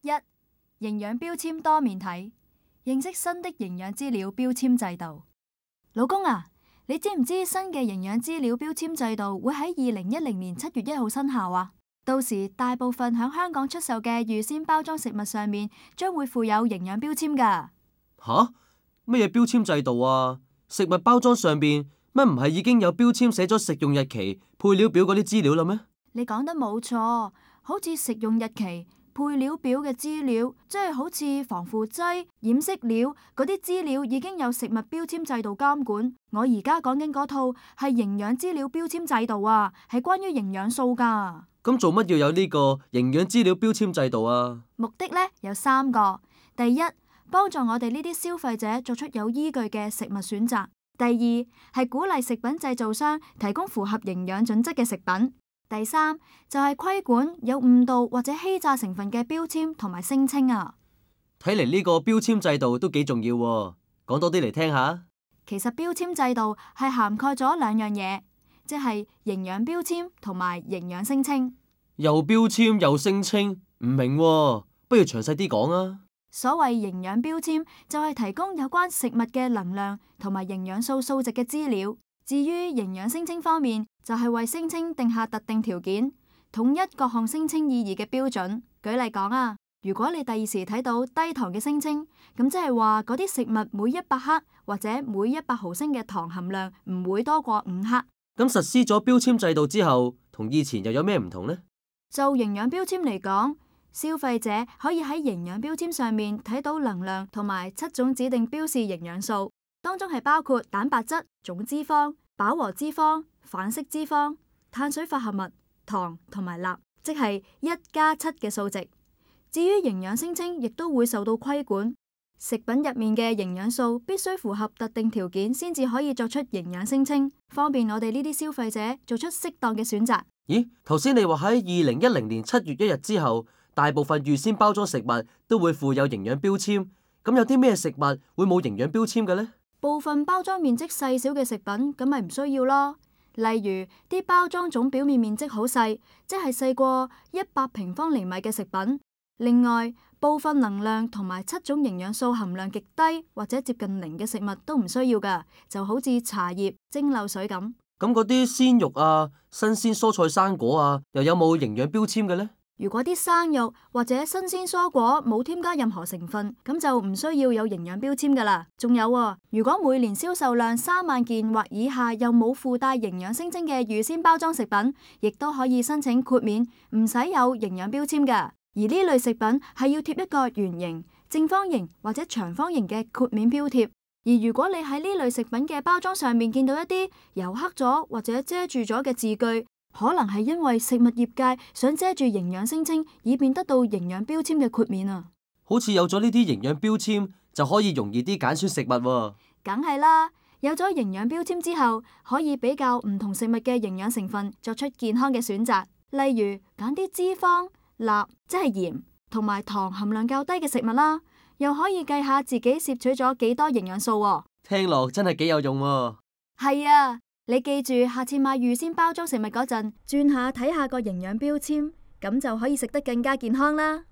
一、營養標籤多面睇，認識新的營養資料標籤制度。老公啊，你知唔知新嘅營養資料標籤制度會喺2010年7月1號生效啊？到時大部分響香港出售嘅預先包裝食物上面將會附有營養標籤噶。吓？乜嘢標籤制度啊？食物包裝上邊乜唔係已經有標籤寫咗食用日期、配料表嗰啲資料啦咩？你講得冇錯，好似食用日期、配料表嘅資料，即係好似防腐劑、染色料嗰啲資料已經有食物標籤制度監管。我而家講緊嗰套係營養資料標籤制度啊，係關於營養素噶。咁做乜要有呢個營養資料標籤制度啊？目的呢有3個：第一，幫助我哋呢啲消費者做出有依據嘅食物選擇；第二，係鼓勵食品製造商提供符合營養準則嘅食品；第三，就係規管有誤導或者欺詐成分嘅標籤同埋聲稱啊。睇嚟呢個標籤制度都幾重要喎，講多啲嚟聽下。其實標籤制度係涵蓋咗2樣嘢，即係營養標籤同埋營養聲稱。又標籤又聲稱，唔明喎，不如詳細啲講啊。所謂營養標籤就係提供有關食物嘅能量同埋營養素數值嘅資料。至於營養聲稱方面，就係為聲稱定下特定條件，統一各項聲稱意義嘅標準。舉例講啊，如果你第二時睇到低糖嘅聲稱，咁即係話嗰啲食物每100克或者每100毫升嘅糖含量唔會多過5克。咁實施咗標籤制度之後，同以前又有咩唔同呢？就營養標籤嚟講，消費者可以喺營養標籤上面睇到能量同埋7種指定標示營養素，當中係包括蛋白質、總脂肪、飽和脂肪、反式脂肪、碳水化合物、糖同埋鈉，即係1+7嘅數值。至於營養聲稱，亦都會受到規管。食品入面嘅營養素必須符合特定條件，先至可以作出營養聲稱，方便我哋呢啲消費者做出適當嘅選擇。咦，頭先你話喺2010年7月1日之後，大部分預先包裝食物都會附有營養標籤，咁有啲咩食物會冇營養標籤嘅呢？部分包裝面積細小嘅食品，咁咪唔需要咯。例如啲包裝總表面面積好細，即係細過100平方厘米嘅食品。另外，部分能量同埋7種營養素含量極低或者接近0嘅食物都唔需要噶，就好似茶葉、蒸餾水咁。咁嗰啲鮮肉啊、新鮮蔬菜生果啊，又有冇營養標籤嘅呢？如果啲生肉或者新鮮蔬果冇添加任何成分，咁就唔需要有營養標籤噶啦。仲有喎，如果每年銷售量3萬件或以下又冇附帶營養聲稱嘅預先包裝食品，亦都可以申請豁免，唔使有營養標籤噶。而呢類食品係要貼一個圓形、正方形或者長方形嘅豁免標貼。而如果你喺呢類食品嘅包裝上面見到一啲油黑咗或者遮住咗嘅字句，可能係因為食物業界想遮住營養聲稱，以便得到營養標籤嘅豁免啊。好似有咗呢啲營養標籤，就可以容易啲揀選食物喎。梗係啦，有咗營養標籤之後，可以比較唔同食物嘅營養成分，作出健康嘅選擇。例如揀啲脂肪、鈉即係鹽同埋糖含量較低嘅食物啦，又可以計下自己攝取咗幾多營養素喎。聽落真係幾有用喎。係啊，你記住下次買預先包裝食物嗰陣，轉下睇下個營養標籤，咁就可以食得更加健康啦。